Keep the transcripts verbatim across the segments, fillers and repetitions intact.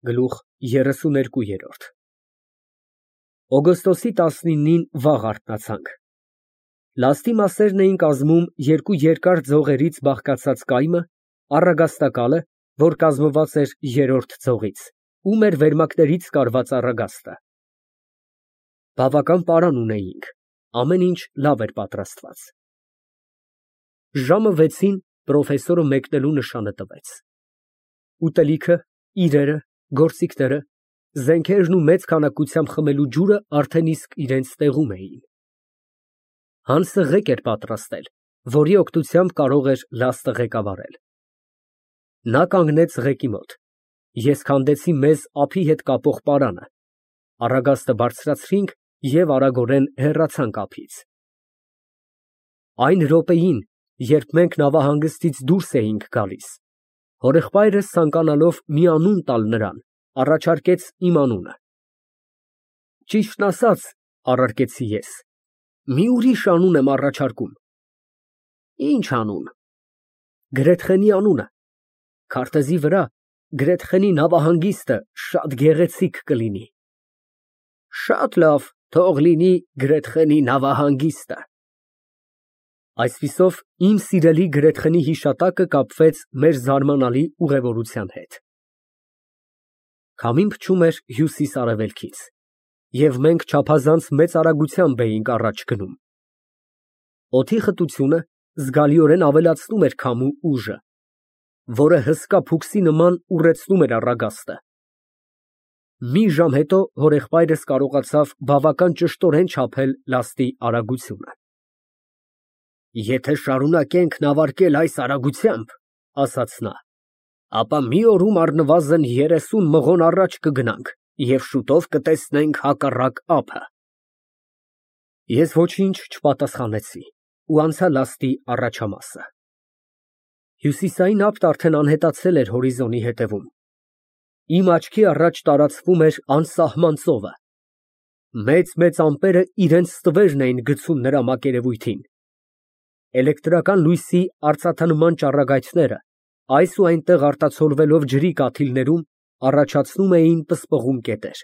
Գլուխ երեսուներկու։ Օգոստոսի տասնինին վաղ արթնացանք։ Լաստի մասերն էին կազմում երկու երկար ձողերից բաղկացած կայմը, առագաստակալը, որ կազմված էր երրորդ ձողից, ու մեր վերմակներից կարված առագաստը։ Բավական պարան ունեինք, ամեն ինչ լավ էր պատրաստված։ Ժամը վեցին պրոֆեսորը մեկնելու նշանը տվեց։ Ուտելիքը, իրերը, գործիքները, զենքերն ու մեծ քանակությամբ խմելու ջուրը արդեն իսկ իրենց տեղում էին։ Հանսը ղեկ էր պատրաստել, որի օգնությամբ կարող էր լաստը ղեկավարել։ Նա կանգնեց ղեկի մոտ, ես քանդեցի մեզ ափի հետ կապող պարանը, առագաստը բարձրացրինք և արագորեն հեռացանք ափից։ Այն րոպեին, երբ մենք նավահանգստից դուրս էինք գալիս, հորեղբայրս ցանկանալով մի անուն տալ նրան, առաջարկեց իմ անունը։ Ճիշտն ասած, առարկեցի ես, մի ուրիշ անուն եմ առաջարկում։ Ի՞նչ անուն։ Գրեթխենի անունը, քարտեզի վրա Գրեթխենի նավահանգիստը շատ գեղեցիկ կլինի։ Շատ լավ, թող լինի Գրեթխենի նավահանգիստը։ Այսպիսով, իմ սիրելի Գրեթխենի հիշատակը կապվեց մեր զարմանալի ուղևորության հետ։ Քամին փչում էր հյուսիս֊արևելքից, և մենք չափազանց մեծ արագությամբ էինք առաջ գնում։ Օդի խտությունը զգալիորեն ավելացնում էր քամու ուժը, որը հսկա փուքսի նման ուռեցնում էր առագաստը։ Մի ժամ հետո հորեղբայրս կարողացավ բավական ճշտորեն չափել լաստի արագությունը։ Եթե շարունակենք նավարկել այս արագությամբ, ասաց նա, ապա մի օրում առնվազն երեսուն մղոն առաջ կգնանք և շուտով կտեսնենք հակառակ ափը։ Ես ոչինչ չպատասխանեցի ու անցա լաստի առաջամասը։ Հյուսիսային ափն արդեն անհետացել էր հորիզոնի հետևում։ Իմ աչքի առաջ տարածվում էր անսահման ծովը։ Մեծ֊մեծ ամպերը իրենց ստվերն էին գցում նրա մակերևույթին։ Էլեկտրական լույսի արծաթանման ճառագայթները այս ու այնտեղ արտացոլվելով ջրի կաթիլներում, առաջացնում էին պսպղուն կետեր։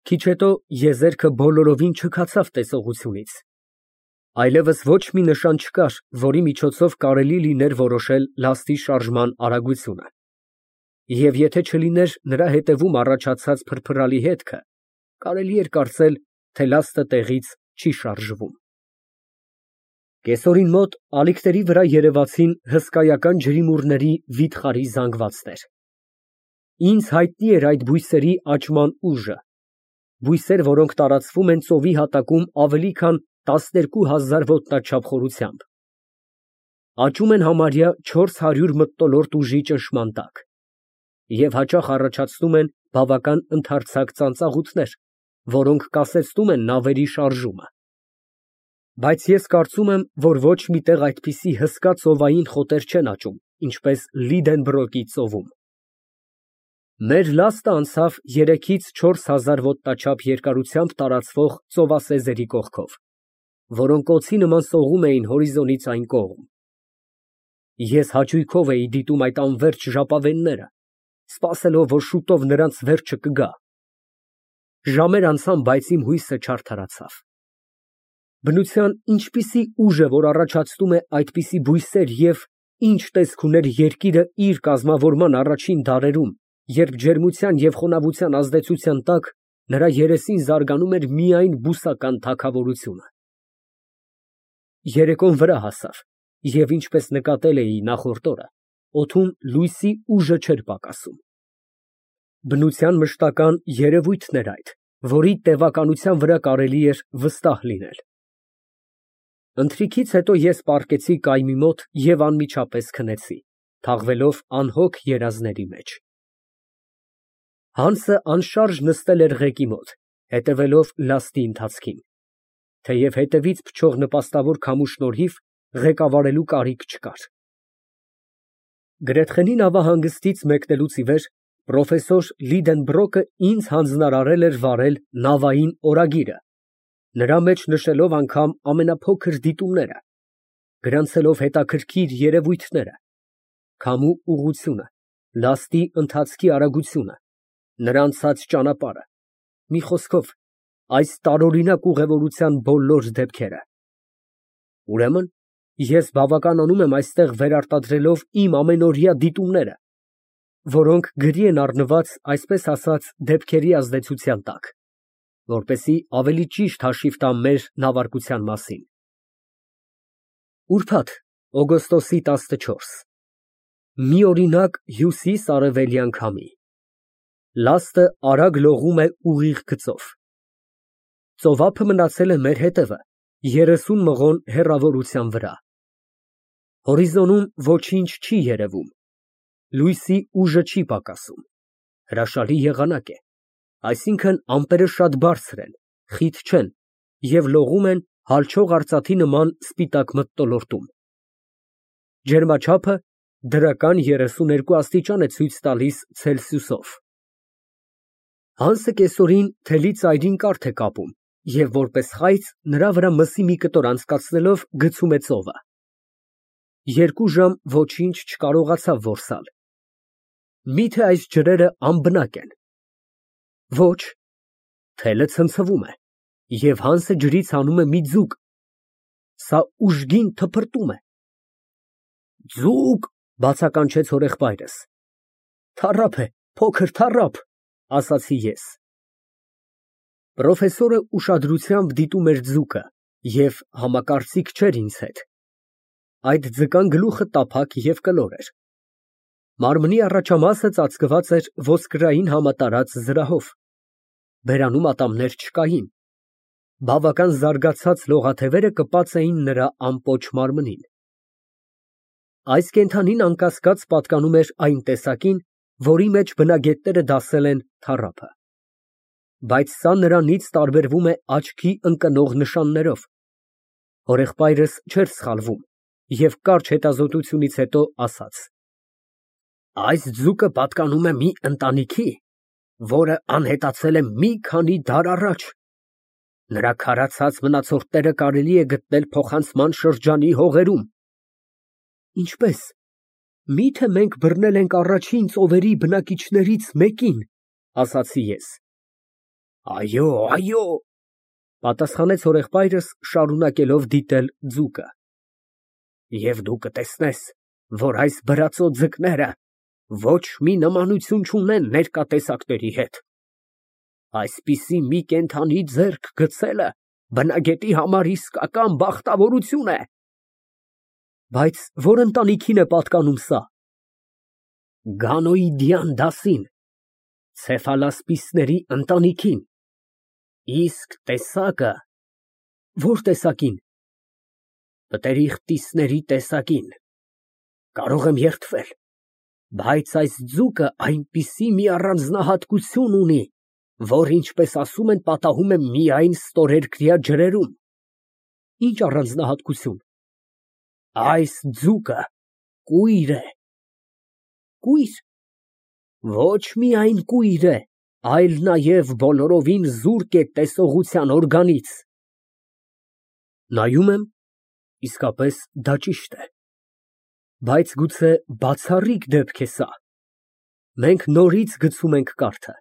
Քիչ հետո եզերքը բոլորովին չքացավ տեսողությունից։ Այլևս ոչ մի նշան չկար, որի միջոցով կարելի լիներ որոշել լաստի շարժման արագությունը։ Եվ եթե չլիներ նրա հետևում առաջացած փրփրալի հետքը, կարելի էր կարծել, թե լաստը տեղից չի շարժվում։ Կեսօրին մոտ ալիքների վրա երևացին հսկայական ջրիմուռների վիթխարի զանգվածներ։ Ինձ հայտնի էր այդ բույսերի աճման ուժը, բույսեր, որոնք տարածվում են ծովի հատակում ավելի քան տասներկու հազար ոտնաչափ խորությամբ։ Աճում են համարյա չորս հարյուր մթնոլորտ ուժի ճնշման տակ և հաճախ առաջացնում են բավական ընդարձակ ծանծաղուտներ, որոնք կասեցնում են նավերի շարժումը։ Բայց ես կարծում եմ, որ ոչ մի տեղ այդպիսի հսկա ծովային խոտեր չեն աճում, ինչպես Լիդենբրոկի ծովում։ Մեր լաստը անցավ երեքից չորս հազար ոտնաչափ երկարությամբ տարածվող ծովասեզերի կողքով, որոնք օձի նման սողում էին հորիզոնից այն կողմ։ Ես հաճույքով էի դիտում այդ անվերջ ժապավենները, սպասելով, որ շուտով նրանց վերջը կգա։ Ժամեր անցան, բայց իմ հույսը չարդարացավ։ Բնության ինչպիսի ուժ է, որ առաջացնում է այդպիսի բույսեր և ինչ տեսք ուներ երկիրը իր կազմավորման առաջին դարերում, երբ ջերմության և խոնավության ազդեցության տակ նրա երեսին զարգանում էր միայն բուսական թագավորությունը։ Երեկոն վրա հասավ, և ինչպես նկատել էի նախորդ օրը, օդում լույսի ուժը չէր պակասում։ Բնության մշտական երևույթն էր այդ, որի տևականության վրա կարելի էր վստահ լինել։ Ընթրիքից հետո ես պառկեցի կայմի մոտ և անմիջապես քնեցի, թաղվելով անհոգ երազների մեջ։ Հանսը անշարժ նստել էր ղեկի մոտ, հետևելով լաստի ընթացքին, թեև հետևից փչող նպաստավոր քամու շնորհիվ ղեկավարելու կարիք չկար։ Գրեթխենի նավահանգստից մեկնելուց ի վեր պրոֆեսոր Լիդենբրոկը ինձ հանձնարարել էր վարել նավային օրագիրը, նրա մեջ նշելով անգամ ամենափոքր դիտումները, գրանցելով հետաքրքիր երևույթները, քամու ուղղությունը, Լաստի ընթացքի արագությունը, նրա անցած ճանապարհը, մի խոսքով, այս տարօրինակ ուղևորության բոլոր դեպքերը։ Ուրեմն, ես բավականանում եմ այստեղ վերարտադրելով իմ ամենօրյա դիտումները, որոնք գրի են առնված, այսպես ասած, դեպքերի ազդեցության տակ, որպեսզի ավելի ճիշտ հաշիվ տամ մեր նավարկության մասին։ Ուրբաթ, օգոստոսի տասնչորս մի օրինակ հյուսիս֊արևելյան քամի։ Լաստը արագ լողում է ուղիղ գծով։ Ծովափը մնացել է մեր հետևը, երեսուն մղոն հեռավորության վրա։ Հորիզոնում ոչինչ չի երևում, լույսի ուժը չի պակասում, հրաշալի եղանակ է, այսինքն ամպերը շատ բարձր են, խիտ չեն և լողում են հալչող արծաթի նման սպիտակ մթնոլորտում։ Ջերմաչափը դրական երեսուն երկու աստիճան է ցույց տալիս ցելսիուսով։ Հանսը կեսօրին թելի ծայրին կարթ է կապում և որպես խայծ նրա վրա մսի մի կտոր անցկացնելով գցում է ծովը։ Երկու ժամ ոչինչ չկարողացավ որսալ։ Մի՞թե այս ջրերը անբնակ են։ Ոչ, թելը ցնցվում է, և Հանսը ջրից հանում է մի ձուկ, սա ուժգին թփրտում է։ Ձուկ, բացականչեց հորեղբայրս։ Թառափ է, փոքր թառափ, ասացի ես։ Պրոֆեսորը ուշադրությամբ դիտում էր ձուկը և համակարծիք չէր ինձ հետ։ Այդ ձկան գլուխը տափակ և կլոր էր։ Մարմնի առաջամասը ծածկված էր ոսկրային համատարած զրահով, բերանում ատամներ չկային, բավական զարգացած լողաթևերը կպած էին նրա ամպոչ մարմնին։ Այս կենդանին անկասկած պատկանում էր այն տեսակին, որի մեջ բնագետները դասել են թառափը։ Բայց սա նրանից տարբերվում է աչքի ընկնող նշաններով։ Հորեղբայրս չէր սխալվում և կարճ հետազոտությունից հետո ասաց. Այս ձուկը պատկանում է մի ընտանիքի, որը անհետացել է մի քանի դար առաջ։ Նրա քարացած մնացորդները կարելի է գտնել փոխանցման շրջանի հողերում։ Ինչպե՞ս, մի՞թե մենք բռնել ենք առաջին ծովերի բնակիչներից մեկին, ասացի ես։ Այո, այո, պատասխանեց հորեղբայրս, շարունակելով դիտել ձուկը։ Եվ դու կտեսնես, որ այս բրածո ձկները ոչ մի նմանություն չունեն ներկա տեսակների հետ։ Այսպիսի մի կենդանի ձեռք գցելը բնագետի համար իսկական բախտավորություն է։ Բայց որ ընտանիքին է պատկանում սա։ Գանոիդյան դասին, ցեֆալասպիսների ընտանիքին։ Իսկ տեսակը։ Որ տեսակին։ Պտերիխտիսների տեսակին։ Կարող եմ երդվել, բայց այս ձուկը այնպիսի մի առանձնահատկություն ունի, որ, ինչպես ասում են, պատահում է միայն ստորերկրյա ջրերում։ Ինչ առանձնահատկություն։ Այս ձուկը կույր է։ Կույր։ Ոչ միայն կույր է, այլ նաև բոլորովին զուրկ է տեսողության օրգանից։ Նայում եմ, իսկապես դա ճիշտ է։ Բայց գուցե բացառիկ դեպք է սա։ Մենք նորից գցում ենք կարթը։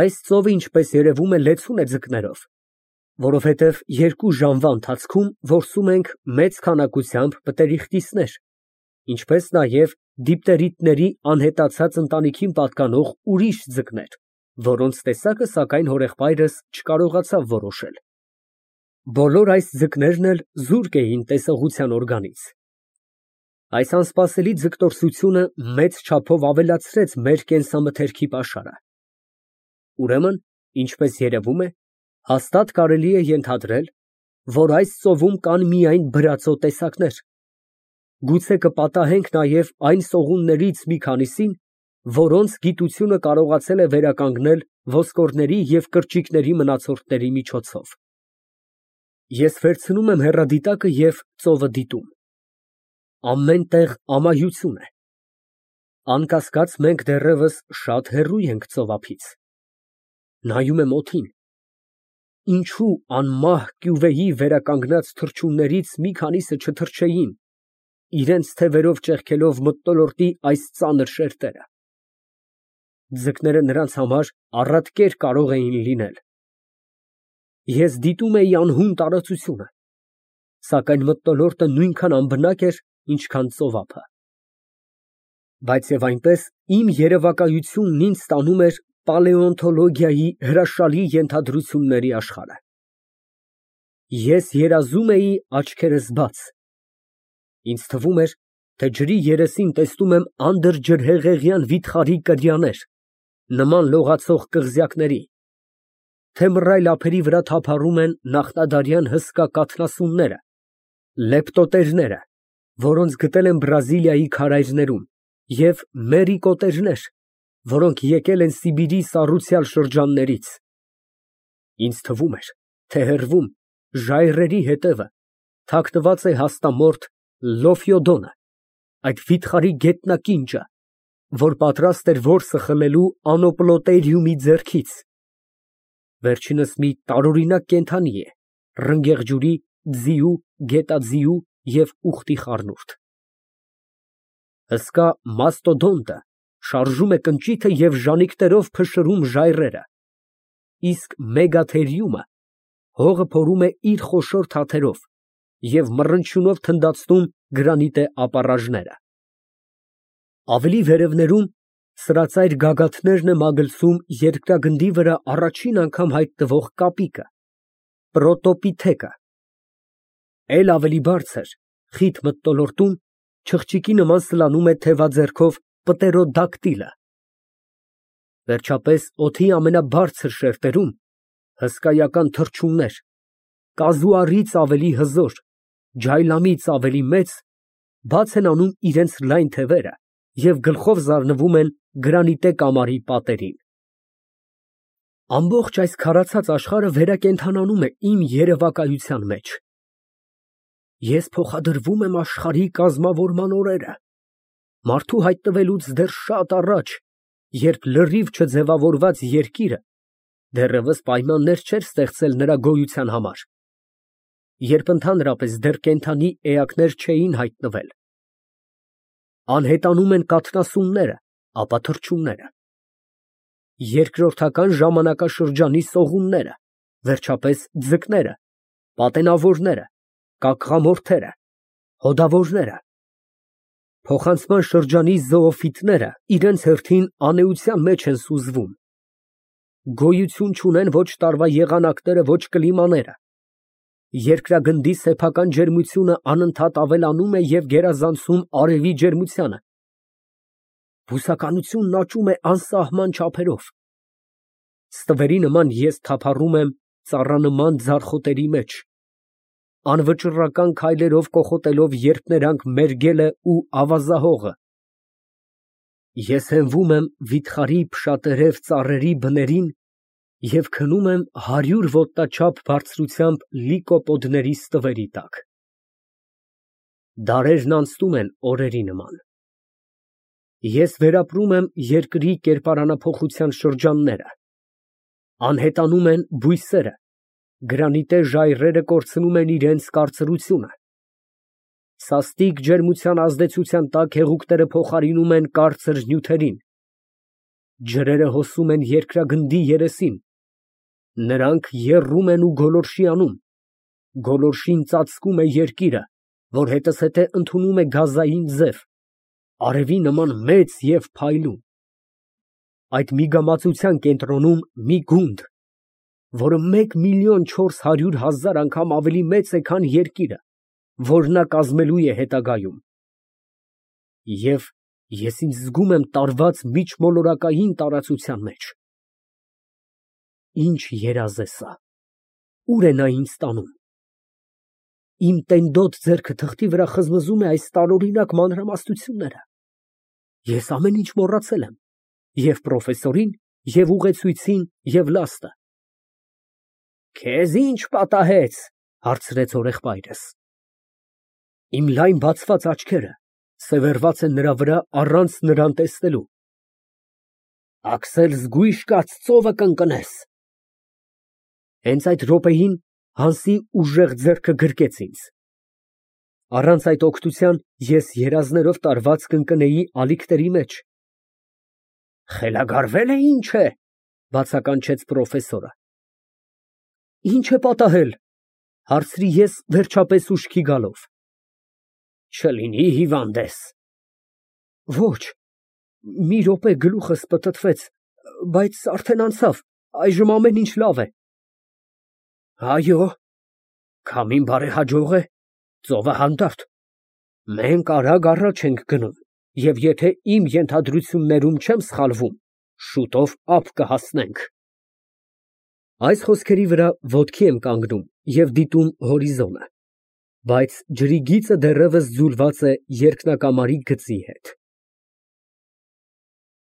Այս ծովը, ինչպես երևում է, լեցուն է ձկներով, որովհետև երկու ժամվա ընթացքում որսում ենք մեծ քանակությամբ պտերիխտիսներ, ինչպես նաև դիպտերիտների անհետացած ընտանիքին պատկանող ուրիշ ձկներ, որոնց տեսակը, սակայն, հորեղբայրս չկարողացավ որոշել։ Բոլոր այս ձկներն էլ զուրկ էին տեսողության օրգանից։ Այս անսպասելի ձգտորսությունը մեծ չափով ավելացրեց մեր կենսամթերքի պաշարը։ Ուրեմն, ինչպես երևում է, հաստատ կարելի է ենթադրել, որ այս ծովում կան միայն բրածո տեսակներ։ Գուցե կպատահենք նաև այն սողուններից մի քանիսին, որոնց գիտությունը կարողացել է վերականգնել ոսկորների և կրճիկների մնացորդների միջոցով։ Ես վերցնում եմ հեռադիտակը և ծովը դիտում։ Ամեն տեղ ամայություն է։ Անկասկած, մենք դեռևս շատ հեռու ենք ծովափից։ Նայում եմ օդին։ Ինչո՞ւ անմահ կյուվեի վերականգնած թռչուններից մի քանիսը չթռչեին, իրենց թևերով ճեղքելով մթնոլորտի այս ծանր շերտերը։ Ձկները նրանց համար առատ կեր կարող էին լինել։ Ես դիտում էի անհուն տարածությունը, սակայն մթնոլորտը նույնքան անբնակ էր, ինչքան ծովափը։ Բայց և այնպես իմ երևակայությունն ինձ տանում էր պալեոնտոլոգիայի հրաշալի ենթադրությունների աշխարհ։ Ես երազում էի աչքերս բաց, ինձ թվում էր, թե ջրի երեսին տեսնում եմ անդրջրհեղեղյան վիթխարի կրիաներ, նման լողացող կղզյակների, թե մռայլ ափերի վրա թափառում են նախնադարյան հսկա կաթնասունները, լեպտոտերները, որոնց գտել են Բրազիլիայի քարայրներում, և մերիկոտերներ, որոնք եկել են Սիբիրի սառուցյալ շրջաններից։ Ինձ թվում էր, թե հեռվում, ժայռերի հետևը, թաքնված է հաստամորթ Լոֆյոդոնը, այդ վիթխարի գետնակինճը, որ պատրաստ էր որսը խլելու Անոպլոտերիումի ձեռքից։ Վերջինս մի տարօրինակ կենդանի է, ռնգեղ ջուրի, ձիու, գետաձիու և ուղտի խառնուրդ։ Հսկա մաստոդոնտը շարժում է կնճիթը և ժանիքներով փշրում ժայռերը, իսկ մեգաթերիումը հողը փորում է իր խոշոր թաթերով և մռնչյունով թնդացնում գրանիտե ապառաժները։ Ավելի վերևներում սրածայր գագաթներն է մագլցում երկրագնդի վրա առաջին անգամ հայտնվող կապիկը, պրոտոպիթեկը։ Էլ ավելի բարձր, խիտ մթնոլորտում չղջիկի նման սլանում է թևաձեռքով պտերոդակտիլը։ Վերջապես օդի ամենաբարձր շերտերում հսկայական թռչուններ, կազու առից ավելի հզոր, ջայլամից ավելի մեծ, բաց են անում իրենց լայն թևերը և գլխով զարնվում են գրանիտե կամարի պատերին։ Ամբողջ այս քարացած աշխարհը վերակենդանանում է իմ երևակայության մեջ։ Ես փոխադրվում եմ աշխարհի կազմավորման օրերը, մարդու հայտնվելուց դեռ շատ առաջ, երբ լրիվ չձևավորված երկիրը դեռևս պայմաններ չէր ստեղծել նրա գոյության համար, երբ ընդհանրապես դեռ կենդանի էակներ չէին հայտնվել։ Անհետանում են կաթնասունները, ապա թռչունները, երկրորդական ժամանակաշրջանի սողունները, վերջապես ձկները, պատենավորները, կակղամորթերը, հոդավորները, փոխանցման շրջանի զոոֆիտները իրենց հերթին անէության մեջ են սուզվում, գոյություն չունեն ոչ տարվա եղանակները, ոչ կլիմաները, երկրագնդի սեփական ջերմությունը անընդհատ ավելանում է և գերազանցում արևի ջերմությանը, բուսականությունն աճում է անսահման չափերով, ստվերի նման ես թափառում եմ ծառանման ձարխոտերի մեջ, անվճռական քայլերով կոխոտելով երփներանգ մերգելը ու ավազահողը, ես հենվում եմ վիթխարի փշատերև ծառերի բներին և քնում եմ հարյուր ոտնաչափ բարձրությամբ լիկոպոդների ստվերի տակ։ Դարերն անցնում են օրերի նման։ Ես վերապրում եմ երկրի կերպարանափոխության շրջանները, անհետանում են բույսերը, գրանիտե ժայռերը կորցնում են իրենց կարծրությունը, սաստիկ ջերմության ազդեցության տակ հեղուկները փոխարինում են կարծր նյութերին, ջրերը հոսում են երկրագնդի երեսին, նրանք եռում են ու գոլորշի անում, գոլորշին ծածկում է երկիրը, որ հետզհետե ընդունում է գազային ձև, արևի նման մեծ և փայլուն, այդ միգամածության կենտրոնում մի գունդ, որը մեկ միլիոն չորս հարյուր հազար անգամ ավելի մեծ է, քան երկիրը, որ նա կազմելու է հետագայում։ Եվ ես ինձ զգում եմ տարված միջմոլորակային տարածության մեջ։ Ինչ երազ է սա, ուր է նա ինձ տանում։ Իմ տենդոտ ձեռքը թղթի վրա խզմզում է այս տարօրինակ մանրամասնությունները։ Ես ամեն ինչ մոռացել եմ, և պրոֆեսորին, և ուղեցույցին, և լաստը։ Քեզ ի՞նչ պատահեց, հարցրեց հորեղբայրս։ Իմ լայն բացված աչքերը սևեռված են նրա վրա առանց նրան տեսնելու։ Աքսել զգույշ կաց, ծովը կընկնես։ Հենց այդ րոպեին Հանսի ուժեղ ձեռքը գրկեց ինձ։ Առանց այդ օգնության ես երազներով տարված կընկնեի ալիքների մեջ։ Խելագարվե՞լ է, ինչ է, բացականչեց պրոֆեսորը։ Ինչ է պատահել, հարցրի ես վերջապես ուշքի գալով։ Չլինի հիվանդ ես։ Ոչ, մի րոպե գլուխս պտտվեց, բայց արդեն անցավ, այժմ ամեն ինչ լավ է։ Այո, քամին բարեհաջող է, ծովը հանդարտ, մենք արագ առաջ ենք գնում, և եթե իմ ենթադրություններում չեմ սխալվում, շուտով ափ կհասնենք։ Այս խոսքերի վրա ոտքի եմ կանգնում և դիտում հորիզոնը, բայց ջրի գիծը դեռևս ձուլված է երկնակամարի գծի հետ։